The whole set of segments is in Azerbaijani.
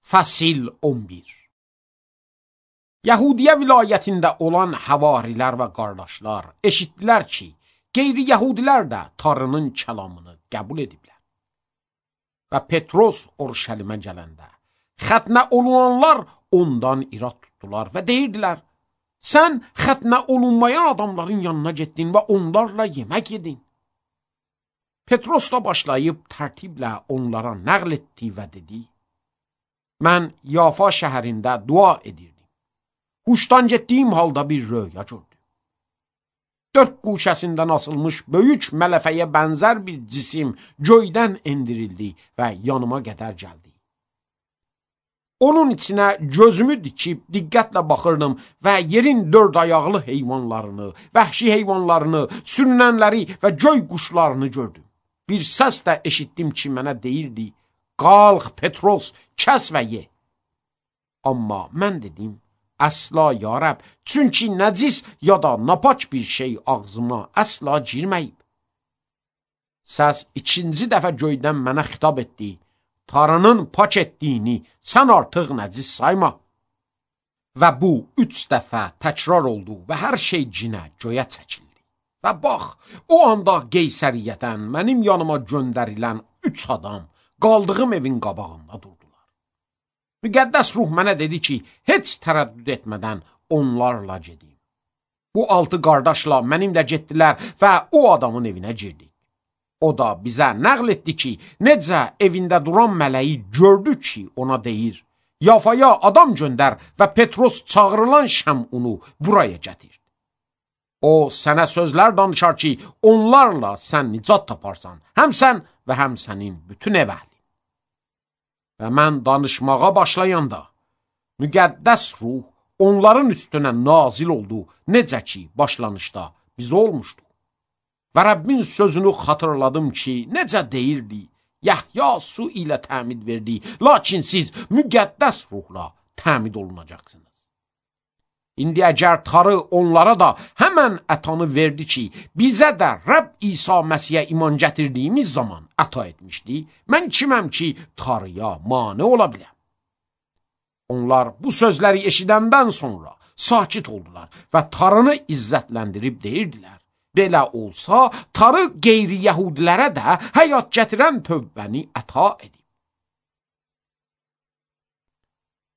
Fəsil 11. Yahudiyə vilayətində olan havarilər və qardaşlar eşitdilər ki, qeyri-yəhudilər də Tanrının kəlamını qəbul ediblər. Və Petros Urşəlimə gələndə xətnə olunanlar ondan irad tutdular və deyirdilər, sən xətnə olunmayan adamların yanına getdin və onlarla yemək yedin. Petros da başlayıb tərtiblə onlara nəql etdi və dedi, mən Yafa şəhərində dua edirdim. Huşdan getdiyim halda bir röya gördüm. 4 quşəsindən asılmış böyük mələfəyə bənzər bir cisim göydən endirildi və yanıma qədər gəldi. Onun içinə gözümü dikib diqqətlə baxırdım və yerin 4 ayaqlı heyvanlarını, vəhşi heyvanlarını, sürünənləri və göy quşlarını gördüm. Bir səs də eşitdim ki, mənə deyirdi, qalx Petros, kəs və ye. Amma mən dedim, əsla ya Rəbb, çünki nəcis ya da napaç bir şey ağzıma əsla girməyib. Səs ikinci dəfə göydən mənə xitab etdi, Tanrının pak etdiyini sən artıq nəcis sayma. Və bu 3 dəfə təkrar oldu və hər şey cinə göyə çəkildi. Və bax, o anda Qeysəriyyədən mənim yanıma göndərilən 3 adam qaldığım evin qabağında durdular. Müqəddəs ruh mənə dedi ki, heç tərəddüd etmədən onlarla gedim. Bu 6 qardaşla mənimlə getdilər və o adamın evinə girdik. O da bizə nəql etdi ki, necə evində duran mələyi gördü ki, ona deyir, Yafaya adam göndər və Petros çağırılan Şəmunu buraya gətir. O sənə sözlər danışar ki, onlarla sən nicat taparsan, həm sən və həm sənin bütün ev əhlin. Və mən danışmağa başlayanda, müqəddəs ruh onların üstünə nazil oldu, necə ki, başlanışda bizə olmuşdu. Və Rəbbin sözünü xatırladım ki, necə deyirdi, Yəhya su ilə təmid verdi, lakin siz müqəddəs ruhla təmid olunacaqsınız. İndi əgər Tanrı onlara da həmən ətanı verdi ki, bizə də Rəbb İsa Məsihə iman gətirdiyimiz zaman əta etmişdi, mən kiməm ki, Tanrıya mane ola biləm? Onlar bu sözləri eşidəndən sonra sakit oldular və Tanrını izzətləndirib deyirdilər, belə olsa, Tanrı qeyri-yəhudilərə də həyat gətirən tövbəni əta edib.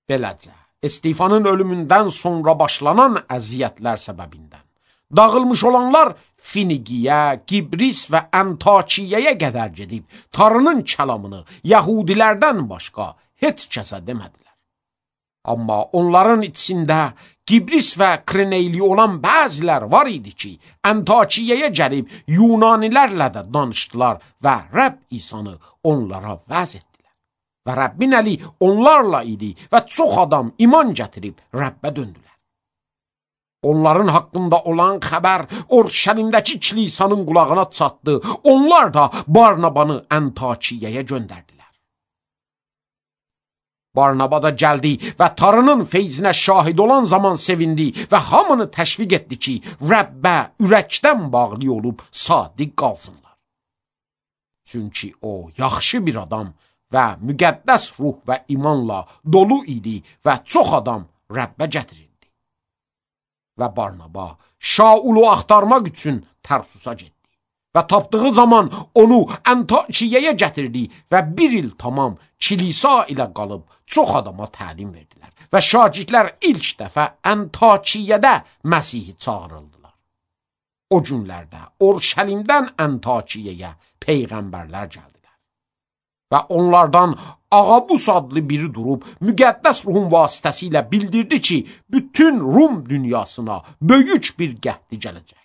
Beləcə, Stefanın ölümündən sonra başlanan əziyyətlər səbəbindən dağılmış olanlar Finigiyə, Qibris və Antakiyaya qədər gedib Tanrının kəlamını yəhudilərdən başqa heç kəsə demədilər. Amma onların içində Qibris və Kreneyli olan bəzilər var idi ki, Antakiyaya gəlib Yunanilərlə də danışdılar və Rəbb İsanı onlara vəz etdilər. Və Rəbbin əli onlarla idi və çox adam iman gətirib Rəbbə döndülər. Onların haqqında olan xəbər Urşəlimdəki kilisanın qulağına çatdı. Onlar da Barnabanı Antakiyaya göndərdilər. Barnaba da gəldi və Tanrının feyzinə şahid olan zaman sevindi və hamını təşviq etdi ki, Rəbbə ürəkdən bağlı olub sadiq qalsınlar. Çünki o yaxşı bir adam və müqəddəs ruh və imanla dolu idi və çox adam Rəbbə gətirildi. Və Barnaba Şaulu axtarmaq üçün Tərsusa getdi və tapdığı zaman onu Antakiyaya gətirdi və 1 il tamam kilisa ilə qalıb çox adama təlim verdilər və şagirdlər ilk dəfə Antakiyada Məsihi çağırıldılar. O günlərdə Urşəlimdən Antakiyaya peyğəmbərlər gəldilər. Və onlardan Ağabus adlı biri durub müqəddəs ruhun vasitəsilə bildirdi ki, bütün Rum dünyasına böyük bir qəhdi gələcək.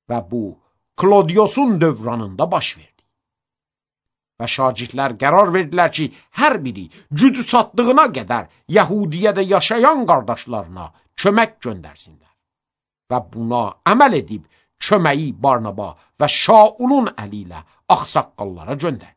Və bu, Klodiosun dövranında baş verdi. Və şagirdlər qərar verdilər ki, hər biri gücü çatdığına qədər Yəhudiyədə yaşayan qardaşlarına kömək göndərsinlər. Və buna əməl edib köməyi Barnaba və Şaulun əli ilə ağsaqqallara göndərdi.